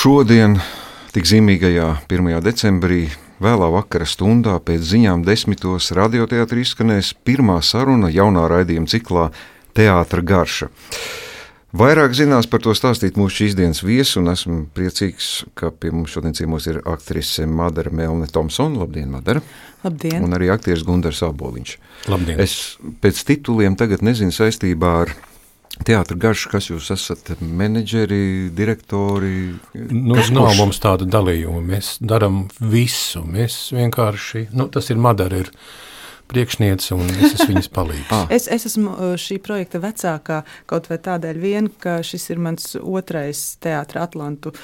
Šodien, tik zīmīgajā 1. decembrī, vēlā vakara stundā pēc ziņām 10. radioteātrī izskanēs pirmā saruna jaunā raidījuma ciklā Teātra garša. Vairāk zinās par to stāstīt mūsu šīs dienas viesi, un esmu priecīgs, ka pie mums šodien ciemos ir aktrise Madara Melne-Tomsone. Labdien, Madara! Labdien! Un arī aktieris Gundars Aboliņš. Labdien! Es pēc tituliem tagad nezinu saistībā ar Teātra garšu, kas jūs esat menedžeri, direktori? Nav mums tāda dalījuma. Mēs darām visu. Mēs vienkārši, tas ir Madara, ir priekšniece, un es esmu viņas palīgs. Es esmu šī projekta vecākā, kaut vai tādēļ vien, ka šis ir mans otrais Teātra Atlantu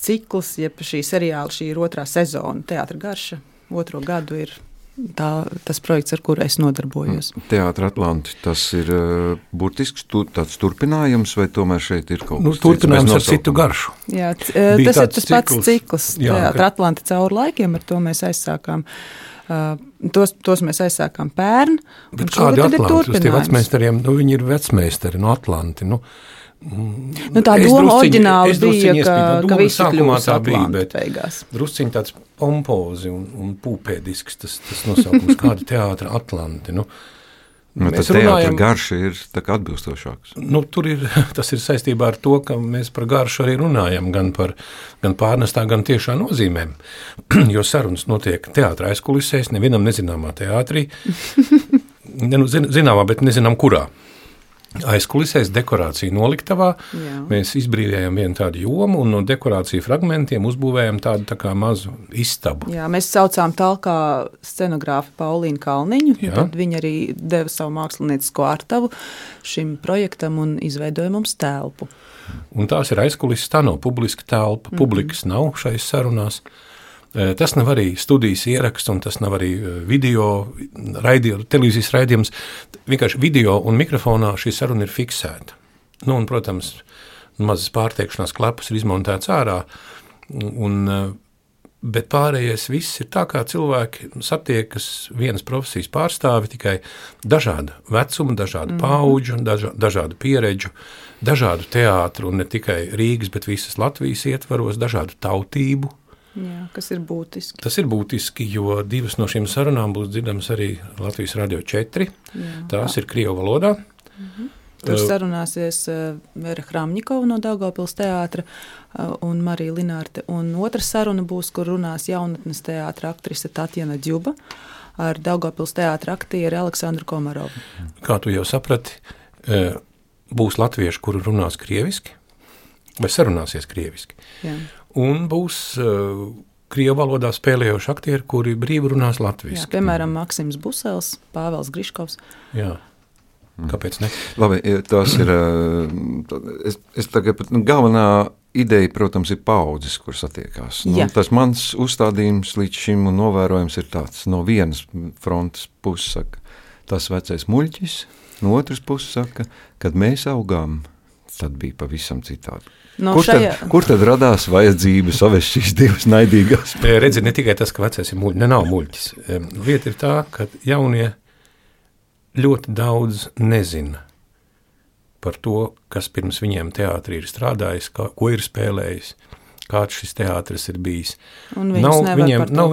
cikls, jeb šī seriāla, šī ir otrā sezona Teātra garša. 2. gadu ir tas projekts, ar kuru es nodarbojos. Teātra Atlanti, tas ir burtisks tāds turpinājums, vai tomēr šeit ir kaut kas turpinājums ar citu garšu? Jā, tas ir tas pats cikls. Teātra Atlanti cauri laikiem, ar to mēs aizsākām. Tos mēs aizsākām pērn. Bet kādi Atlanti? Uz tie vecmeistariem, viņi ir vecmeistari no Atlanti. Tā doma oriģināli bija, ka visi kļūs Atlanti beigās. Drusciņi tāds pompozi un pūpēdisks tas nosaukums, kāda Teātra Atlanti. Tas teātra garša ir tā kā atbilstošāks. Tas ir saistībā ar to, ka mēs par garšu arī runājam, gan pārnestā, gan tiešā nozīmēm. Jo sarunas notiek teātra aizkulisēs, nevienam nezināmā teātrī. Zināmā, bet nezinām kurā. Aizkulisēs dekorāciju noliktavā. Jā. Mēs izbrīvējām vienu tādu jomu un no dekorāciju fragmentiem uzbūvējām tādu tā kā mazu istabu. Jā, mēs saucām talkā scenogrāfu Paulīnu Kalniņu. Tad viņa arī deva savu māksliniecisko artavu šim projektam un izveidoja mums telpu. Un tās ir aizkulises, tā nav publiska telpa. Publikas nav šais sarunās. Tas nav arī studijas ieraksts, un tas nav arī televīzijas raidījums. Vienkārši video un mikrofonā šī saruna ir fiksēta. Un, protams, mazas pārteikšanās klapas ir izmontēts ārā, bet pārējais viss ir tā, kā cilvēki satiekas vienas profesijas pārstāvi, tikai dažādu vecumu, dažādu paudžu, dažādu pieredžu, dažādu teātru, un ne tikai Rīgas, bet visas Latvijas ietvaros, dažādu tautību. Jā, kas ir būtiski. Tas ir būtiski, jo 2 no šīm sarunām būs dzirdamas arī Latvijas Radio 4. Jā. Tās ir krievu valodā. Tur sarunāsies Vera Hramņikova no Daugavpils teātra un Marija Linārte. Un otra saruna būs, kur runās jaunatnes teātra aktrise Tatjana Džuba ar Daugavpils teātra aktieri Aleksandru Komarovu. Kā tu jau saprati, būs latvieši, kuri runās krieviski, vai sarunāsies krieviski. Jā. Un būs krievu valodā spēlējoši aktieri, kuri brīvi runās latviski. Jā, piemēram, Maksims Busels, Pāvels Griškovs. Jā, kāpēc ne? Labi, tās ir, es tagad, galvenā ideja, protams, ir paudzes, kur satiekās. Tas mans uzstādījums līdz šim un novērojums ir tāds, no vienas frontes puses saka, tas vecais muļķis, no otras puses saka, kad mēs augām, tad bija pavisam citādi. Kur tad radās vajadzība savest šīs divas naidīgās? Redzi, ne tikai tas, ka vecais ir muļķis, nav muļķis. Lieta ir tā, ka jaunie ļoti daudz nezina par to, kas pirms viņiem teātrī ir strādājis, ko ir spēlējis, kāds šis teātris ir bijis. Nav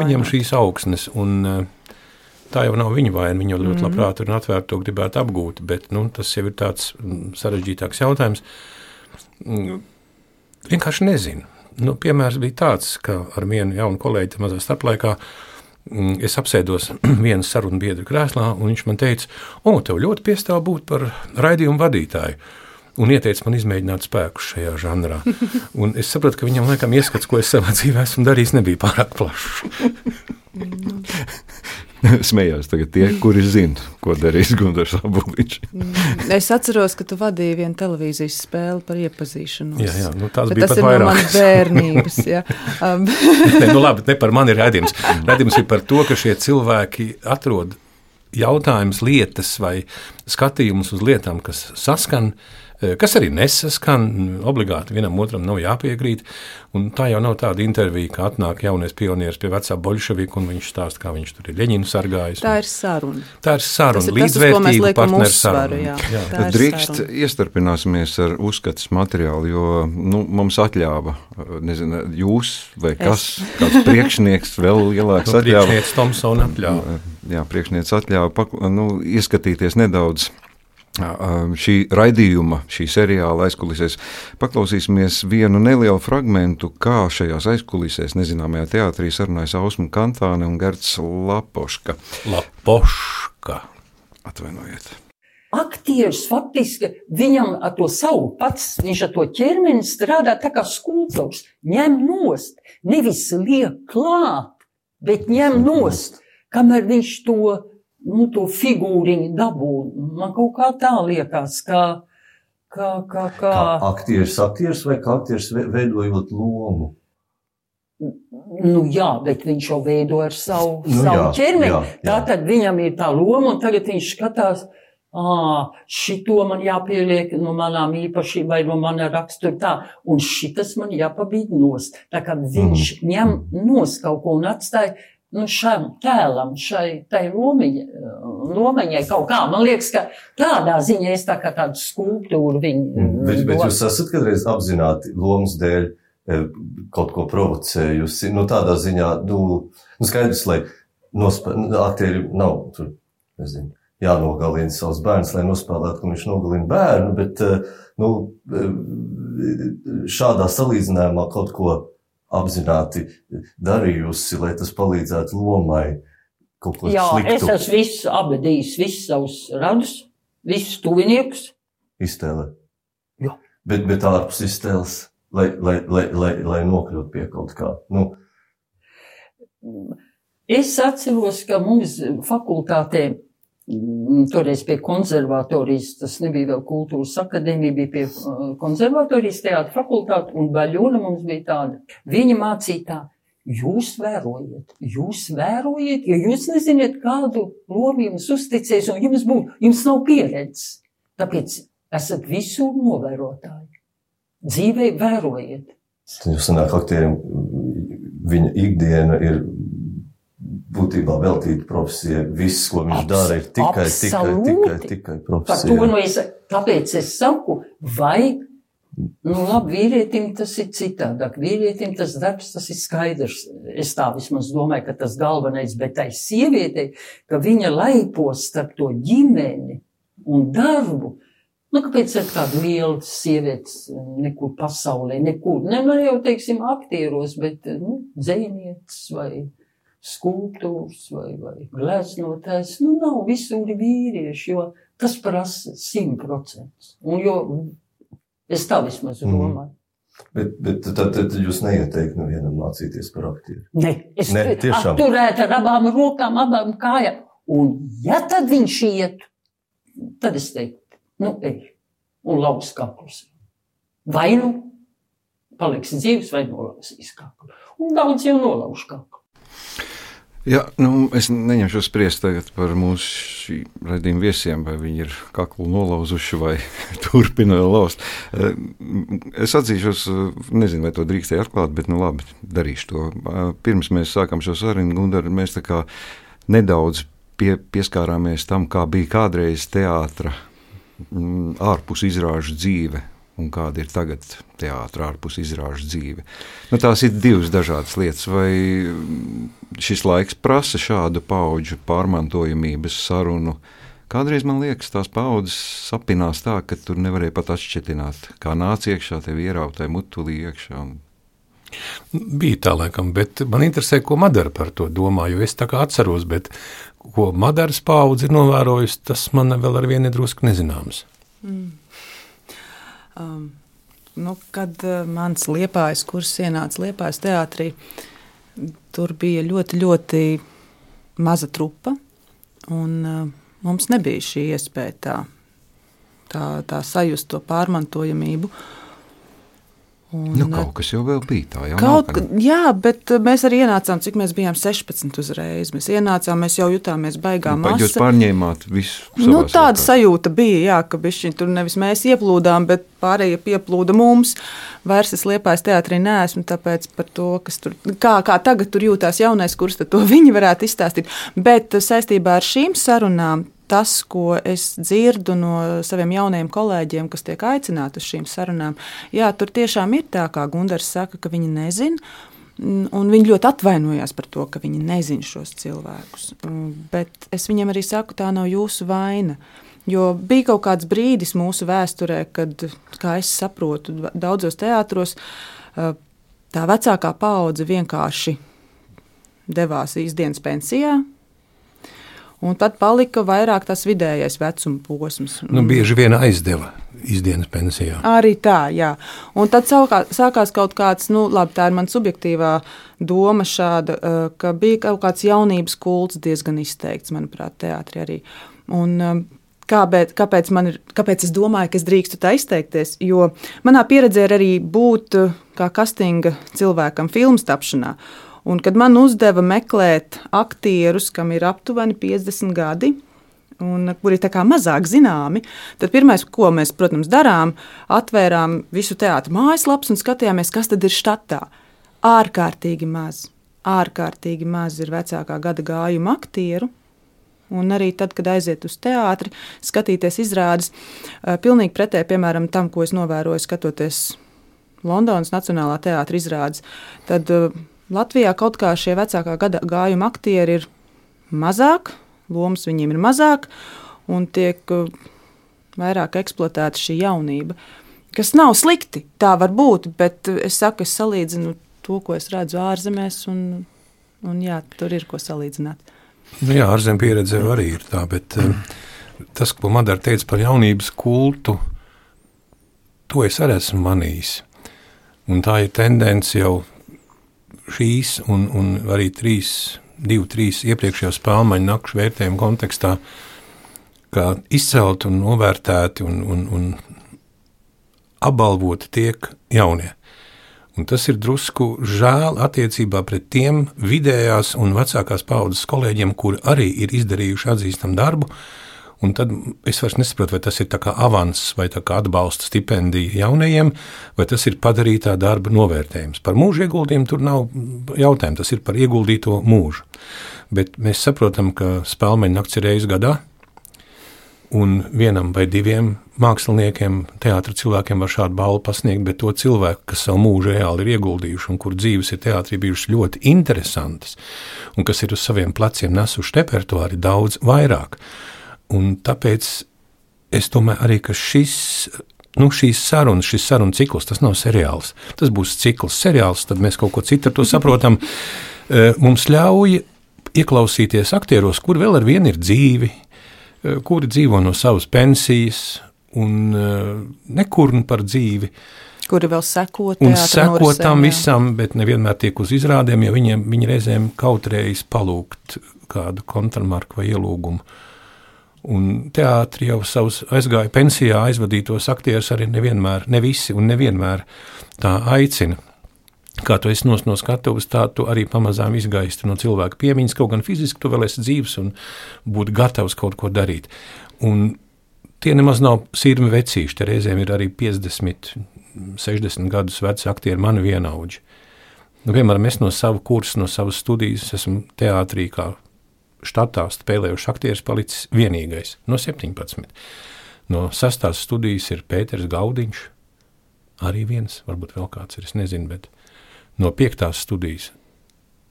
viņiem šīs augsnes, un tā jau nav viņa vaina, viņa ļoti labprāt un atvērti to gribētu apgūt, bet tas jau ir tāds sarežģītāks jautājums. Vienkārši nezinu. Piemērs bija tāds, ka ar vienu jaunu kolēģi mazā starplaikā es apsēdos vienas sarunu biedru krēslā, un viņš man teica, tev ļoti piestāv būt par raidījumu vadītāju, un ieteica man izmēģināt spēkus šajā žanrā. Un es sapratu, ka viņam laikam ieskats, ko es savā dzīvē esmu darījis, nebija pārāk plašs. Smējās tagad tie, kuri zina, ko darīs Gundars Aboliņš. Es atceros, ka tu vadīji vienu televīzijas spēli par iepazīšanos. Jā, tās bija pat vairāk. Tas ir no manas bērnības, jā. Labi, ne par mani ir raidījums. Raidījums ir par to, ka šie cilvēki atrod jautājumus, lietas vai skatījumus uz lietām, kas saskan kas arī nesaskan, obligāti vienam otram nav jāpiekrīt, un tā jau nav tāda intervija, ka atnāk jaunais pionieris pie vecā boļševiku, un viņš stāsta, kā viņš tur ir Ļeņinu sargājis. Tā ir saruna. Tā ir saruna, līdzvērtīgu partneru saruna. Drīkst iestarpināsimies ar uzskatas materiālu, jo mums atļāva, nezinu, jūs vai kāds priekšnieks vēl lielāks atļāva. Priekšnieks Tomsona atļāva. Jā, priekšnieks atļāva ieskatīties nedaudz šī raidījuma, šī seriāla aizkulisēs. Paklausīsimies vienu nelielu fragmentu, kā šajās aizkulisēs nezināmajā teātrī sarunājas Ausma Kantāne un Gerts Lapoška. Atvainojiet. Aktieris faktiski viņam ar to savu pats, viņš ar to ķermeni strādā tā kā skulptors, ņem nost, nevis liek klāt, bet ņem nost, kamēr viņš to figūriņu dabū. Man kaut kā tā liekas, kā aktieris vai kā aktieris veidojot lomu? Jā, bet viņš jau veido ar savu ķermeni. Jā. Tātad viņam ir tā loma, un tagad viņš skatās, šito man jāpieliek no manām īpašībām vai no mana rakstura tā, un šitas man jāpabīd nost. Tā kā viņš ņem nost kaut ko un atstāja šam tēlam, tai lomaņai kaut kā. Man liekas, ka tādā ziņā es tā kā tādu skulptūru viņu. Bet jūs esat kādreiz apzināti lomas dēļ kaut ko provocējusi? Tādā ziņā, skaidrs, lai aktieri nav, tur, nezinu, jānogalina savus bērnus, lai nospēlētu, ka viņš nogalina bērnu, bet, šādā salīdzinājumā kaut ko apzināti darījusi, lai tas palīdzētu lomai kaut ko sliktu. Es esmu visu abadījis, visus savus radus, visus tuviniekus. Iztēlē? Jā. Bet ārpus iztēles, lai nokļūt pie kaut kā. Es atceros, ka mums fakultātē, toreiz pie konservatorijas, tas nebija vēl kultūras akadēmija, bija pie konservatorijas teātra fakultāte, un Baļona mums bija tāda. Viņa mācīja tā, jūs vērojiet, jo jūs neziniet, kādu lomu jums uzticēs, un jums nav pieredzes. Tāpēc esat visur novērotāji. Dzīvē vērojiet. Tad jūs sanāk aktierim, viņa ikdiena ir būtībā veltīta profesija. Viss, ko viņš dara, ir tikai profesija. Tāpēc es saku, vai, labi, vīrietim tas ir citādāk. Vīrietim tas darbs, tas ir skaidrs. Es tā vismaz domāju, ka tas galvenais, bet tai sievietei, ka viņa laipos starp to ģimeni un darbu. Kāpēc ir tāda liela sievietes nekur pasaulē, nekur, ne jau, teiksim, aktieros, bet, dzejnieces vai skulptūrs vai gleznotājs, nav visur vīrieši, jo tas prasa 100%. Un jo es tā vismaz domāju. Bet tad jūs neieteikt nevienam mācīties par aktieru? Es turētu ar abām rokām, abām kājām. Un ja tad viņš iet, tad es teiktu, ej, un lauz kaklus. Vai paliks dzīves, vai nolauzīs kaklu. Un daudz jau nolauž kaklu. Jā, es neņemšu spriest tagad par mūsu šī raidījuma viesiem, vai viņi ir kaklu nolauzuši vai turpina lauzt. Es atzīšos, nezinu, vai to drīkstēju atklāt, bet labi, darīšu to. Pirms mēs sākam šo sarunu, Gundar, mēs tā kā nedaudz pieskārāmies tam, kā bija kādreiz teātra ārpus izrāžu dzīve un kāda ir tagad teātra ārpus izrāžu dzīve. Tās ir divas dažādas lietas. Vai šis laiks prasa šādu paudžu pārmantojamības sarunu? Kādreiz man liekas, tās paudzes sapinās tā, ka tur nevarēja pat atšķetināt, kā nāc iekšā, tev ierautai mutulī iekšā. Bija tā laikam, bet man interesē, ko Madara par to domā, jo es tā kā atceros, bet ko Madaras paudze ir novērojusi, tas man vēl ar vienu drusku nezināms. Kad mans Liepājas kurs ienāca Liepājas teātrī, tur bija ļoti, ļoti maza trupa, un mums nebija šī iespēja tā sajust to pārmantojamību. Kaut kas jau vēl bija tā, jau jā, bet mēs arī ienācām, cik mēs bijām 16 uzreiz. Mēs ienācām, mēs jau jutāmies baigā masa. Jūs pārņēmāt visu tāda sajūta bija, jā, ka bišķiņ tur nevis mēs ieplūdām, bet pārējie pieplūda mums. Vairs es Liepājas teātrī neesmu, tāpēc par to, kas tur, kā tagad tur jūtās jaunais kurs, tad to viņi varētu izstāstīt. Bet saistībā ar šīm sarunām, tas, ko es dzirdu no saviem jaunajiem kolēģiem, kas tiek aicināti uz šīm sarunām, jā, tur tiešām ir tā, kā Gundars saka, ka viņi nezin, un viņi ļoti atvainojās par to, ka viņi nezin šos cilvēkus. Bet es viņiem arī saku, tā nav jūsu vaina, jo bija kaut kāds brīdis mūsu vēsturē, kad, kā es saprotu, daudzos teātros tā vecākā paudze vienkārši devās īsdienas pensijā, un tad palika vairāk tas vidējais vecuma posms. Bieži vien aizdeva izdienas pensijā. Arī tā, jā. Un tad sākās kaut kāds, labi, tā ir man subjektīvā doma šāda, ka bija kaut kāds jaunības kults diezgan izteikts, manuprāt, teātrī arī. Un kāpēc es domāju, ka es drīkstu tā izteikties? Jo manā pieredzē ir arī būt kā kastinga cilvēkam filmas tapšanā. Un, kad man uzdeva meklēt aktierus, kam ir aptuveni 50 gadi, un kuri tā kā mazāk zināmi, tad pirmais, ko mēs, protams, darām, atvērām visu teātra mājaslapas un skatījāmies, kas tad ir štatā. Ārkārtīgi maz ir vecākā gada gājuma aktieru. Un arī tad, kad aiziet uz teātri, skatīties izrādes, pilnīgi pretēji, piemēram, tam, ko es novēroju, skatoties Londonas Nacionālā teātra izrādes, tad Latvijā kaut kā šie vecākā gada gājuma aktieri ir mazāk, lomas viņiem ir mazāk, un tiek vairāk eksploatēta šī jaunība, kas nav slikti, tā var būt, bet es saku, es salīdzinu to, ko es redzu ārzemēs, un jā, tur ir ko salīdzināt. Jā, ārzem pieredze arī ir tā, bet tas, ko Madara teica par jaunības kultu, to es arī esmu manījis. Un tā ir tendence jau šīs un arī 2-3 iepriekšējā Spēlmaņa nakšu vērtējuma kontekstā, kā izcelt un novērtēti un apbalvoti tiek jaunie. Un tas ir drusku žēl attiecībā pret tiem vidējās un vecākās paaudzes kolēģiem, kuri arī ir izdarījuši atzīstam darbu, un tad es vairs nesaprotu, vai tas ir tā kā avans vai tā kā atbalsta stipendija jaunajiem, vai tas ir padarītā darba novērtējums. Par mūža ieguldījumu tur nav jautājumu, tas ir par ieguldīto mūžu. Bet mēs saprotam, ka Spēlmaņa nakts ir reiz gadā, un vienam vai diviem māksliniekiem, teātra cilvēkiem var šādu balvu pasniegt, bet to cilvēku, kas savu mūžu reāli ir ieguldījuši un kur dzīves ir teātrī bijušas ļoti interesantas, un kas ir uz saviem pleciem nesuši repertuāri daudz vairāk. Un tāpēc es domāju arī, ka šīs sarunu cikls, tas nav seriāls. Tas būs cikls seriāls, tad mēs kaut ko citu ar to saprotam. Mums ļauj ieklausīties aktieros, kuri vēl ar vienu ir dzīvi, kuri dzīvo no savas pensijas un nekurn par dzīvi. Kuri vēl seko tam visam, bet nevienmēr tiek uz izrādēm, jo viņi reizēm kautrējas palūgt kādu kontramarku vai ielūgumu. Un teātri jau savus aizgāja pensijā aizvadītos aktierus arī ne visi un nevienmēr tā aicina. Kā tu esi no skatuves, tā tu arī pamazām izgaisti no cilvēka piemiņas, kaut gan fiziski tu vēl esi dzīvs un būtu gatavs kaut ko darīt. Un tie nemaz nav sirmi vecīši, te reizēm ir arī 50, 60 gadus veci aktieri mani vienaudži. Piemēram, es no sava kursa, no savas studijas esmu teātrī kā štatā spēlējuši aktieris palicis vienīgais no 17. No 6. studijas ir Pēters Gaudiņš, arī viens, varbūt vēl kāds ir, es nezinu, bet no 5. studijas,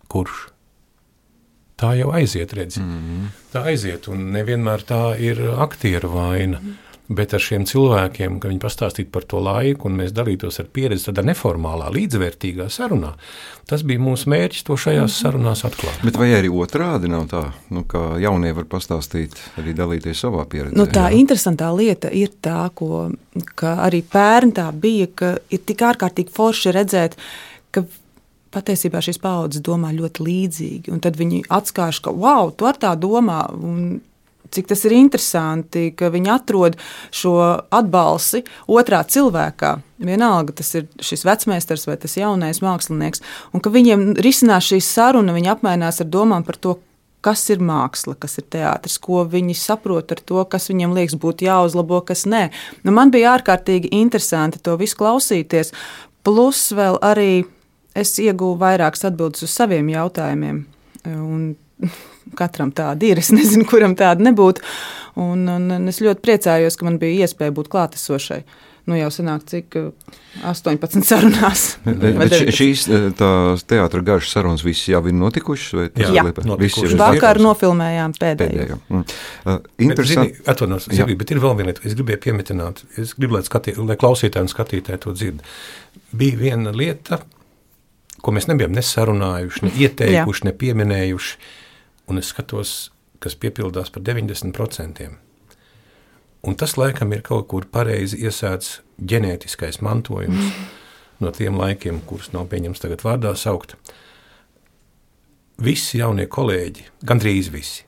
kurš? Tā jau aiziet, redzi. Tā aiziet, un nevienmēr tā ir aktieru vaina. Bet ar šiem cilvēkiem, ka viņi pastāstītu par to laiku, un mēs dalītos ar pieredzi tādā neformālā, līdzvērtīgā sarunā, tas bija mūsu mērķis to šajās sarunās atklāt. Bet vai arī otrādi nav tā, ka jaunie var pastāstīt, arī dalīties savā pieredzē? Tā interesantā lieta ir tā, ka arī pērn tā bija, ka ir tik ārkārtīgi forši redzēt, ka patiesībā šīs paaudzes domā ļoti līdzīgi, un tad viņi atskārš, ka wow, tu ar tā domā, un cik tas ir interesanti, ka viņi atrod šo atbalsi otrā cilvēkā. Vienalga, tas ir šis vecmeistars vai tas jaunais mākslinieks, un ka viņiem risinās šī saruna, viņi apmainās ar domām par to, kas ir māksla, kas ir teātris, ko viņi saprot ar to, kas viņiem liekas būtu jāuzlabo, kas nē. Nu, man bija ārkārtīgi interesanti to visu klausīties, plus vēl arī es ieguvu vairākas atbildes uz saviem jautājumiem, un katram tāda ir, es nezinu, kuram tāda nebūtu, un es ļoti priecājos, ka man bija iespēja būt klātesošai. Nu jau sanāk, cik 18 sarunās. Bet šīs teātra garšas sarunas visas jau ir notikušas? Jā, notikušas. Vakar nofilmējām pēdējo. Atvainojos, bet ir vēl viena lieta, es gribēju piemetināt, es gribu, lai klausītāji un skatītāji to dzird. Bija viena lieta, ko mēs nebijām nesarunājuši, ne ieteikuši, ne pieminējuši, un es skatos, kas piepildās par 90%. Un tas, laikam, ir kaut kur pareizi iesēts ģenētiskais mantojums no tiem laikiem, kurus nav pieņems tagad vārdā saukt. Visi jaunie kolēģi, gandrīz visi,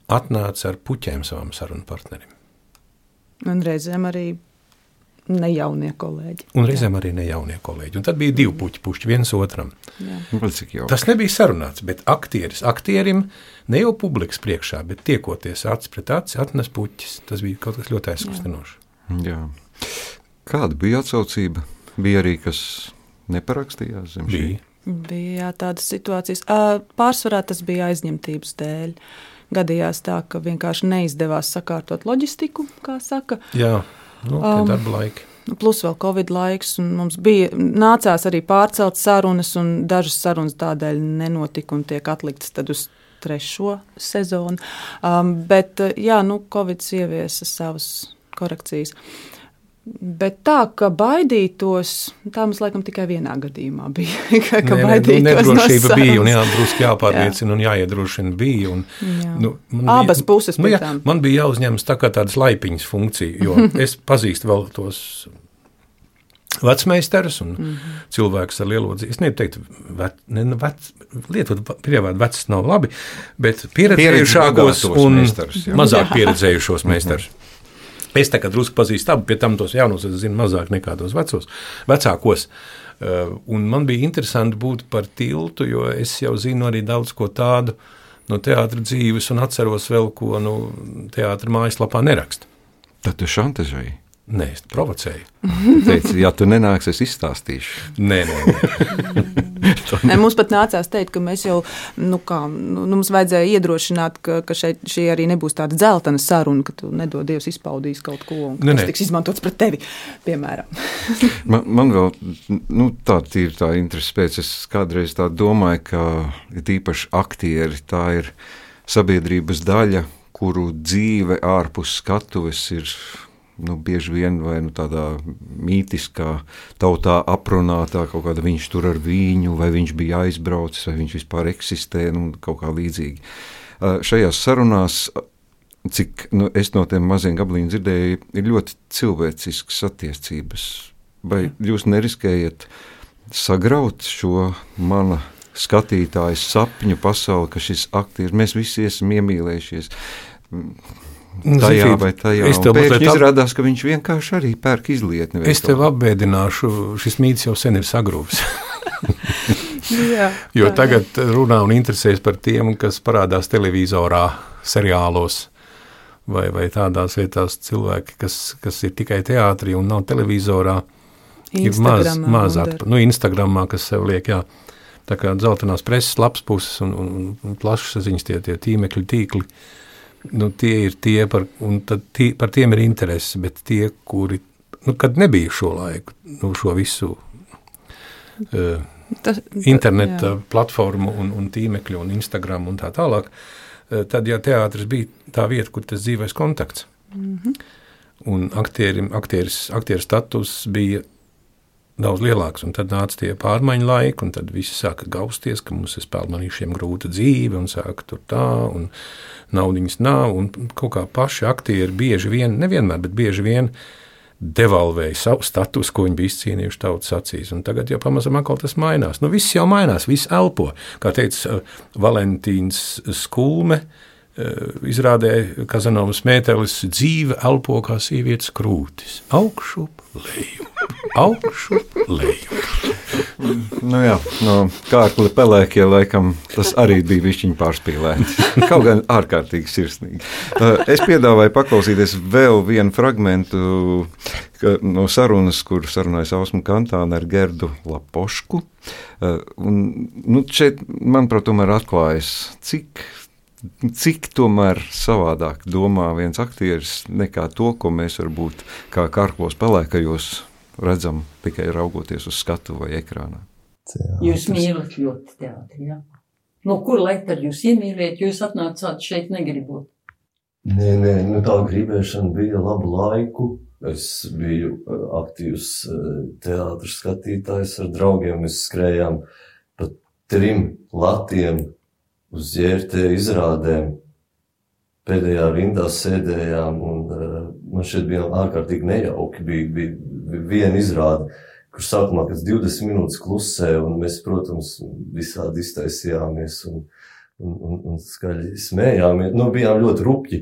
atnāca ar puķēm savam sarunu partnerim. Un reizēm arī nejaunie kolēģi. Un tad bija divi puķi viens otram. Tas nebija sarunāts, bet aktierim ne jau publikas priekšā, bet tiekoties acis pret aci, atnes puķis. Tas bija kaut kas ļoti aizkustinošs. Jā. Kāda bija atsaucība? Bija arī, kas neparakstījās zem šī? Bija tādas situācijas. Pārsvarā tas bija aizņemtības dēļ. Gadījās tā, ka vienkārši neizdevās sakārtot loģistiku, kā saka. Jā. Darba laiki. Plus vēl Covid laiks, un mums nācās arī pārcelt sarunas, un dažas sarunas tādēļ nenotika un tiek atliktas tad uz 3. sezonu. Bet, Covid ieviesa savas korekcijas. Bet tā, ka baidītos, tā mums laikam tikai vienā gadījumā bija. Ka baidītos nedrošība bija, un drusku jāpārliecina un jāiedrošina bija. Abas puses pēc tām. Man bija jāuzņemas tā kā tādas laipiņas funkcija, jo es pazīstu vēl tos vecmeistarus un cilvēkus ar lielo dzīvi. Es neteiktu, lietot prievādu vecs nav labi, bet pieredzējušākos un mazāk pieredzējušos meistarus. Es tā kā drusku pazīstu abu, pie tam tos jaunos es zinu mazāk nekā tos vecākos. Un man bija interesanti būt par tiltu, jo es jau zinu arī daudz ko tādu no teātra dzīves un atceros vēl, ko teātra mājaslapā neraksta. Tad tu šantažēji? Nē, es provocēju. Teici, ja tu nenāks, es izstāstīšu. Nē. Mums pat nācās teikt, ka mēs jau, mums vajadzēja iedrošināt, ka šī arī nebūs tāda dzeltena saruna, ka tu nedod Dievs izpaudīs kaut ko, un tas tiks izmantots pret tevi, piemēram. Man vēl, tāda ir tā interesi pēc, es kādreiz tā domāju, ka tīpaši aktieri, tā ir sabiedrības daļa, kuru dzīve ārpus skatuves ir bieži vien vai tādā mītiskā tautā aprunātā kaut kāda viņš tur ar viņu, vai viņš bija aizbraucis, vai viņš vispār eksistē, kaut kā līdzīgi. Šajās sarunās, cik es no tiem maziem gabaliem dzirdēju, ir ļoti cilvēciskas attiecības. Vai jūs neriskējat sagraut šo mana skatītāja sapņu pasauli, ka šis aktieris, mēs visi esam iemīlējušies tajā vai tajā, un pēkšņi izrādās, ka viņš vienkārši arī pērk izlietni. Es tev apbēdināšu, šis mīts jau sen ir sagrūvis. Jo tagad runā un interesēs par tiem, kas parādās televizorā, seriālos, vai tādās vietās cilvēki, kas ir tikai teātrī un nav televizorā, ir maz Instagramā, kas sev liek, tā kā dzeltenās preses lapas puses un plašsaziņas tie tīmekļu tīkli, tie ir tie, par tiem ir interesi, bet tie, kuri, kad nebija šo laiku, šo visu interneta platformu un tīmekļu un Instagram un tā tālāk, tad, teātris bija tā vieta, kur tas dzīvais kontakts. Un aktieru status bija daudz lielāks, un tad nāca tie pārmaiņu laiki, un tad visi sāka gausties, ka mums ir spēlmanīšiem grūta dzīve, un sāka tur tā, un naudiņas nav, un kaut kā paši aktieri bieži vien, nevienmēr, bet bieži vien devalvēja savu status, ko viņi bija izcīnījuši tautas acīs, un tagad jau pamazam atkal tas mainās. Viss jau mainās, viss elpo. Kā teica Valentīns Skulme, izrādē Kazanovas mētelis dzīve elpo kā sievietes krūtis. Augšup, lejup. Nu jā, no Kārkli Pelēkie laikam tas arī bija višķiņ pārspīlēts. Kaut gan ārkārtīgi sirsnīgi. Es piedāvāju paklausīties vēl vienu fragmentu no sarunas, kur sarunājas Ausma Kantāne ar Gerdu Lapošku. Un šeit, manuprāt, tomēr atklājas, cik tomēr savādāk domā viens aktieris nekā to, ko mēs varbūt kā Kārklos Pelēkajos redzam tikai raugoties uz skatu vai ekrānā. Jūs mīlat ļoti teātri, jā? No kur lai tad jūs iemīliet, jūs atnācāt šeit negribot? Nē, tā gribēšana bija labu laiku. Es biju aktīvs teātris skatītājs ar draugiem, mēs skrējām pa 3 latiem uz ģērtē izrādēm. Pēdējā rindā sēdējām un man šeit bija ārkārtīgi nejauki. Bija viena izrāde, kur sākumā pēc 20 minūtes klusē, un mēs, protams, visādi iztaisījāmies un skaļi smējāmies. Bijām ļoti rupji.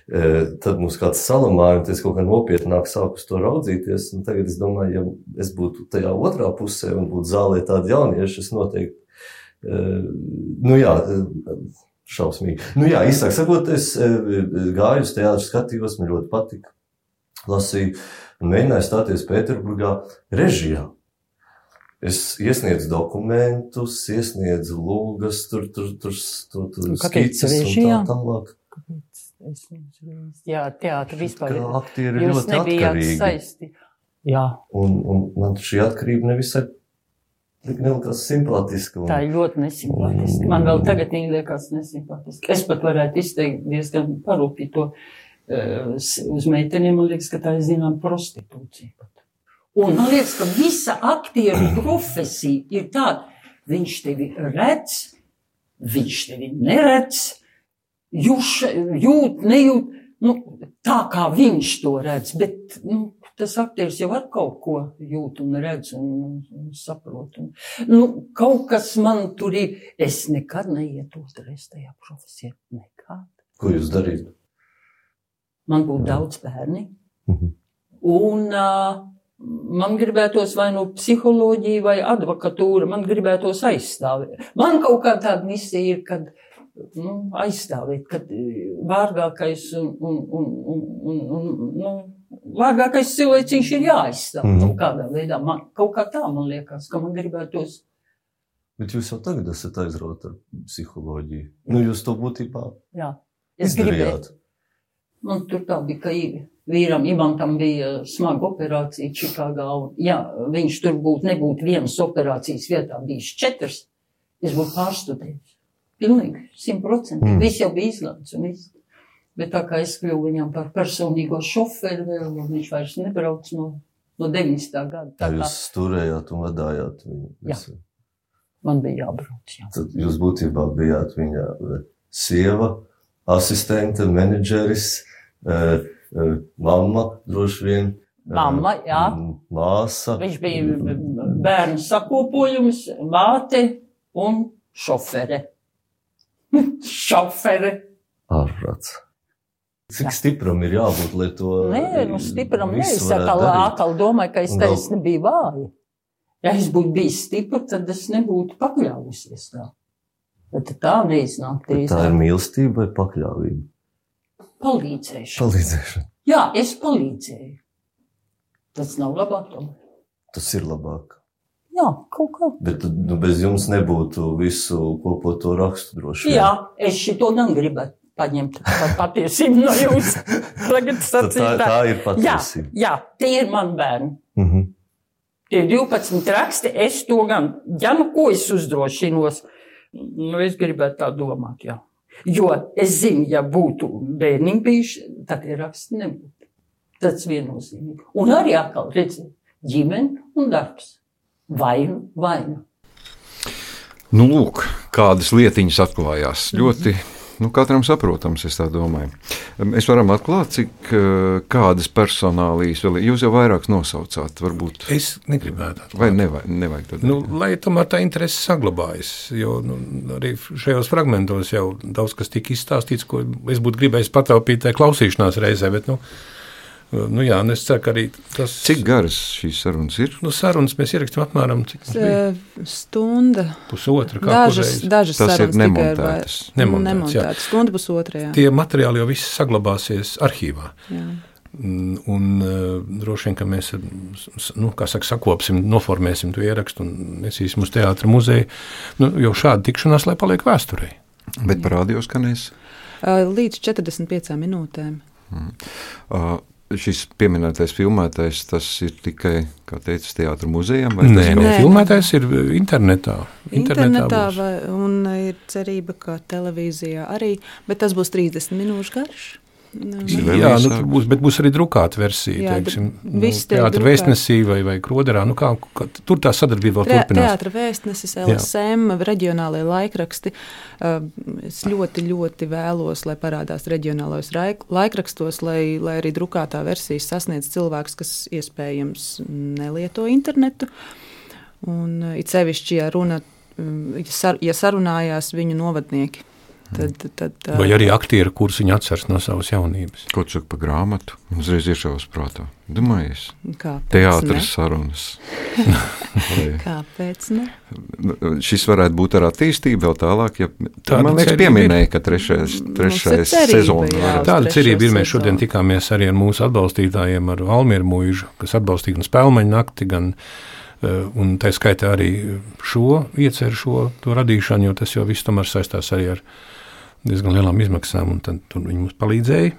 Tad mums kāds salamāja, un es kaut kā nopietnāk sāku uz to raudzīties, un tagad es domāju, ja es būtu tajā otrā pusē un būtu zālē tādi jaunieši, es noteikti, šausmīgi. Īsāk sakot, es gāju uz teātru, skatījos, man ļoti patika, lasīju un mēģināju stāties Pēterburgā režijā. Es iesniedzu dokumentus, iesniedzu lūgas, tur skices un tā tālāk. Jā, teātri vispār. Aktieri ir ļoti atkarīgi. Saisti. Jā. Un man šī atkarība nevisai nelikās simpātiska. Tā ir ļoti nesimpātiska. Man vēl tagad viņa liekas nesimpātiska. Es pat varētu izteikt diezgan parūpīt to uz meiteniem. Man liekas, ka tā ir zinām prostitūcija pat. Un man liekas, ka visa aktieru profesija ir tāda. Viņš tevi redz, viņš tevi neredz, jūt, nejūt, tā kā viņš to redz, bet tas aktieris jau ar kaut ko jūt un redz un saprot. Kaut kas man tur ir, es nekad neietu otrreiz tajā profesijā, nekad. Ko jūs darītu? Man būtu daudz bērni, un man gribētos vai psiholoģija vai advokatūra, man gribētos aizstāvēt. Man kaut kā tāda misija ir, kad aizstāvēt, kad vārgākais vārgākais cilvēciņš ir jāaizstāv kādā veidā. Kaut kā tā man liekas, ka man gribētos. Bet jūs jau tagad esat aizrauta ar psiholoģiju. Jūs to būtībā izdarījāt. Man tur tā bija, ka vīram Ivantam bija smaga operācija Čikāgā. Viņš tur nebūtu vienas operācijas vietā, bijis 4. Es būtu pārstudējis. Pilnīgi, 100%. Viss jau bija izlēmts un viss. Bet tā kā es kļuvu viņam par personīgo šoferi vēl, un viņš vairs nebrauc no 90. gada. Tā jūs turējāt un vadājāt viņu? Jā. Man bija jābrauc, jā. Tad jūs būtībā bijāt viņa sieva, asistente, menedžeris, mamma, droši vien. Mamma, jā. Māsa. Viņš bija bērnu sakopojums, māte un šofere. Šofere. Ārprāts. Cik stipram ir jābūt, lai to stipram atkal domāju, ka es taisni biju vāja. Ja es būtu bijis stipra, tad es nebūtu pakļāvusies tā. Bet tā neiznāk. Tā ir mīlestība vai pakļāvība? Palīdzēšana. Jā, es palīdzēju. Tas nav labāk tomēr. Tas ir labāk. Jā, kaut kā. Bet bez jums nebūtu visu kopoto rakstu droši vien. Jā, es šito gan gribētu paņemt par patiesību no jums. Tā ir patiesība. Jā, tie ir mani bērni. Tie 12 raksti, es to gan, ko es uzdrošinos, es gribētu tā domāt, jā. Jo es zinu, ja būtu bērniņi bijuši, tad tie raksti nebūtu. Tas viennozīmīgi. Un arī atkal redzēt, ģimene un darbs. Vainu. Lūk, kādas lietiņas atklājās. Ļoti katram saprotams, es tā domāju. Mēs varam atklāt, cik kādas personālijas vēl jūs jau vairākas nosaucāt, varbūt. Es negribētu atklāt. Vai nevajag tad? Lai tomēr tā interese saglabājas, jo arī šajos fragmentos jau daudz kas tika izstāstīts, ko es būtu gribējis pataupīt tajā klausīšanās reizē, bet es ceru, ka arī tas... Cik garas šīs sarunas ir? Sarunas mēs ierakstām apmēram stunda. Pusotra, kā Dažas tas sarunas ir nemontētas. Nemontētas. Stunda pusotra, jā. Tie materiāli jau viss saglabāsies arhīvā. Jā. Un droši vien, ka mēs, sakopsim, noformēsim to ierakstu un nesīsim uz teātra muzeju, jo šāda tikšanās, lai paliek vēsturei. Bet par radio skanēs? Līdz 45 minūtēm. Šis pieminētais filmētais, tas ir tikai, kā teica, teātra muzejam? Nē, filmētais ir internetā. Internetā un ir cerība, ka televīzijā arī, bet tas būs 30 minūšu garš. Jā, tur būs arī drukāta versija, teātra vēstnesī vai Kroderā. Tur tā sadarbība vēl turpinās. Teātra vēstnesis, LSM, reģionālajie laikraksti. Es ļoti, ļoti vēlos, lai parādās reģionālajos laikrakstos, lai arī drukātā versija sasniedz cilvēkus, kas iespējams nelieto internetu. Un it sevišķi, ja sarunājās viņu novadnieki. Vai arī aktieri, kurus viņi atceras no savas jaunības. Ko tu saki par grāmatu? Uzreiz iešaus prātā. Domājies? Teātras sarunas. Kāpēc ne? Šis varētu būt ar attīstību vēl tālāk, man liekas pieminēja, ka trešais sezona. Tāda cerība ir. Mēs šodien tikāmies arī ar mūsu atbalstītājiem, ar Almieru Mūžu, kas atbalstīja gan Spēlmeņu nakti, gan un tā skaitā arī to radīšanu, jo tas jau viss tomēr saistās arī ar diezgan lielām izmaksām, un tad viņi mums palīdzēja.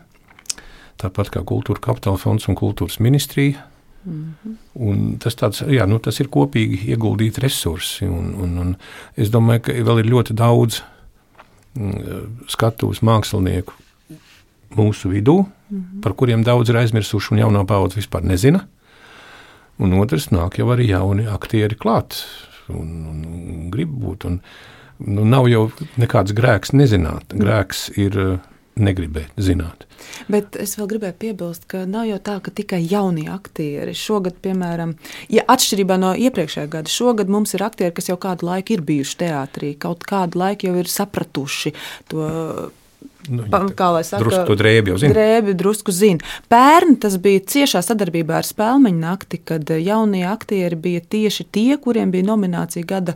Tāpat kā Kultūra Kapitāla fonds un Kultūras ministrija. Un tas tas ir kopīgi ieguldīti resursi, un es domāju, ka vēl ir ļoti daudz skatuves mākslinieku mūsu vidū, par kuriem daudz ir aizmirsuši un jaunā paudze vispār nezina. Un otrs nāk jau arī jauni aktieri klāt un grib būt. Nav jau nekāds grēks nezināt. Grēks ir negribēt zināt. Bet es vēl gribēju piebilst, ka nav jau tā, ka tikai jaunie aktieri. Šogad, piemēram, atšķirībā no iepriekšējā gada, šogad mums ir aktieri, kas jau kādu laiku ir bijuši teātrī, kaut kādu laiku jau ir sapratuši to... kā lai saka, drusku to drēbi jau zina. Drēbi drusku zina. Pērn tas bija ciešā sadarbībā ar Spēlmeņu nakti, kad jaunie aktieri bija tieši tie, kuriem bija nominācija gada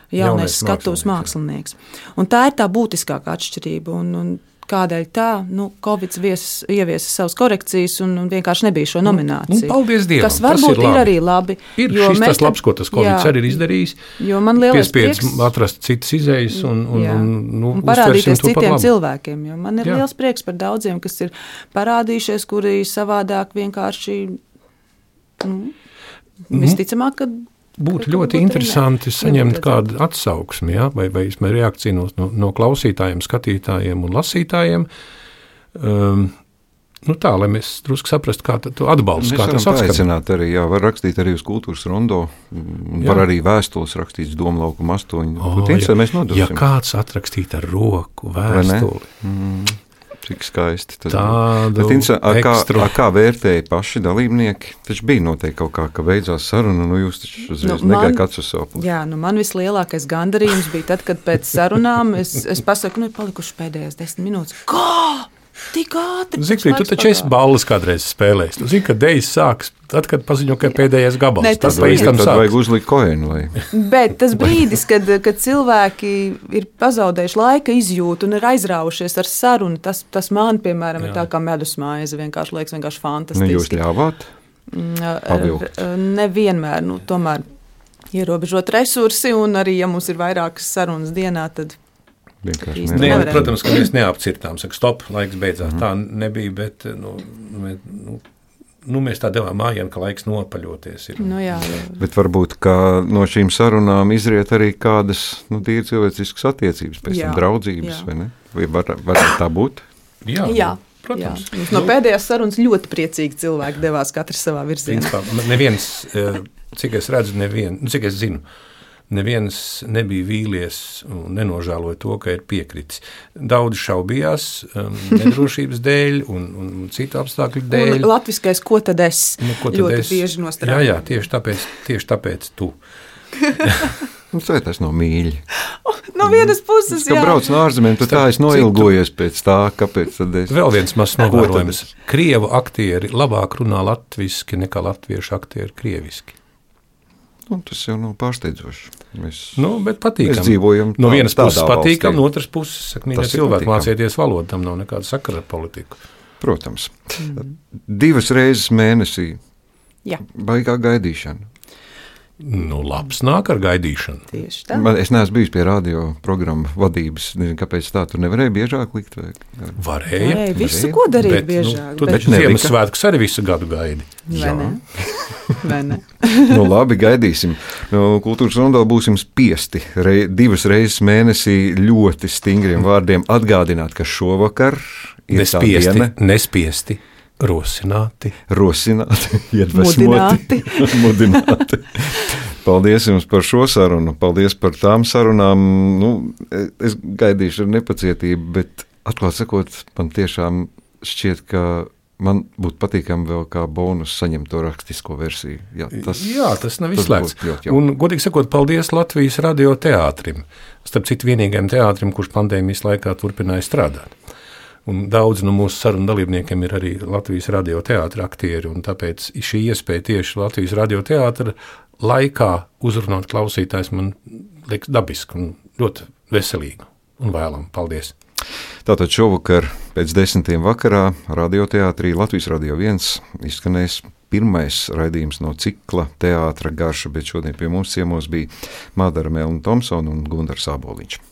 jaunais skatuves mākslinieks. Un tā ir tā būtiskākā atšķirība. Un kādēļ tā? Covid ieviesa savas korekcijas un vienkārši nebija šo nomināciju. Paldies Dievam. Kas varbūt ir arī labi. Ir šis tas labs, ko tas Covid arī ir izdarījis. Jo man lielais prieks atrast citas izējas un parādīties citiem cilvēkiem. Jo man ir liels prieks par daudziem, kas ir parādījušies, kuri savādāk vienkārši visticamāk, ka būtu ļoti interesanti saņemt kādu atsauksmi, vai reakciju no klausītājiem, skatītājiem un lasītājiem. Tā, lai mēs drusku saprastu, kā to atbalstu. Mēs varam paaicināt arī, var rakstīt arī uz Kultūras rondo, var arī vēstules rakstīt uz Doma laukuma 8. Mēs nodosim. Ja kāds atrakstīt ar roku vēstuli. Cik skaisti. Kā vērtēja paši dalībnieki? Taču bija noteikti kaut kā, ka beidzās saruna, jūs taču uzreiz negāja kāds uz savu. Jā, man vislielākais gandarījums bija tad, kad pēc sarunām es pasaku, palikuši pēdējās 10 minūtes. Kā? Tik ātri. Zikfrīd, tu taču esi balles kādreiz spēlējis. Tu zini, ka dejas sāks, tad, kad paziņo, ka pēdējais gabals. Tad vajag uzlikt koenu. Bet tas brīdis, kad cilvēki ir pazaudējuši laika izjūtu un ir aizraujušies ar sarunu, tas man, piemēram, ir tā kā medusmaize, vienkārši fantastiski. Jūs ļāvāt? Nevienmēr, tomēr ierobežot resursi, un arī, ja mums ir vairākas sarunas dienā, tad protams, ka mēs neapcirtām, saka, stop, laiks beidzās. Tā nebija, bet mēs tā devām mājienu, ka laiks nopaļoties ir. Jā. Bet varbūt, ka no šīm sarunām izriet arī kādas tīri cilvēciskas attiecības, pēc tam draudzības, vai ne? Vai var tā būt? Jā. Protams. No pēdējās sarunas ļoti priecīgi cilvēki devās katrs savā virzienā. Neviens, cik es redzu, cik es zinu, neviens nebija vīlies un nenožēloja to, ka ir piekritis. Daudz šaubījās nedrošības dēļ un citu apstākļu dēļ. Un latviskais, ko tad es? Ko tad ļoti es? bieži nostrādāju. Jā, tieši tāpēc tu. Vai tas nav mīļi? No vienas puses, jā. Kad brauc no ārzemēm, tad tā es noilgojies pēc tā, kāpēc tad es... Vēl viens mazs novērojums. Krievu aktieri labāk runā latviski nekā latviešu aktieri krieviski. Tas jau nav pārsteidzoši. Mēs patīkam. Dzīvojam no vienas puses patīkam, valstī. No otras puses, mīļie cilvēki, mācieties valodu, tam nav nekāda sakara ar politiku. Protams. 2 reizes mēnesī. Jā. Baigā gaidīšana. Labs nāk ar gaidīšanu. Tieši tā. Es neesmu bijis pie radio programmu vadības. Nezinu, kāpēc tā tur nevarēja biežāk likt? Varēja. Visu, ko darīt biežāk. Tu taču Ziemassvētkus arī visu gadu gaidi. Vai ne? Labi, gaidīsim. Kultūras rundā būsim spiesti 2 reizes mēnesī ļoti stingriem vārdiem atgādināt, ka šovakar ir tā diena. Nespiesti. Rosināti, iedvesmoti, mudināti. Paldies jums par šo sarunu, paldies par tām sarunām. Es gaidīšu ar nepacietību, bet atklāt sakot, man tiešām šķiet, ka man būtu patīkami vēl kā bonus saņemt to rakstisko versiju. Tas nav izslēgts. Un, godīgi sakot, paldies Latvijas radio teātrim. Starp citu vienīgajam teātrim, kurš pandēmijas laikā turpināja strādāt. Un daudz no mūsu sarunu dalībniekiem ir arī Latvijas radio teātra aktieri, un tāpēc šī iespēja tieši Latvijas radio teātra laikā uzrunāt klausītājs man liekas dabiski un ļoti veselīgi un vēlam. Paldies! Tātad šovakar pēc 10. vakarā radioteātrī Latvijas Radio 1 izskanēs pirmais raidījums no cikla Teātra garša, bet šodien pie mums ciemos bija Madara Melna Tomsona un Gundars Āboliņš.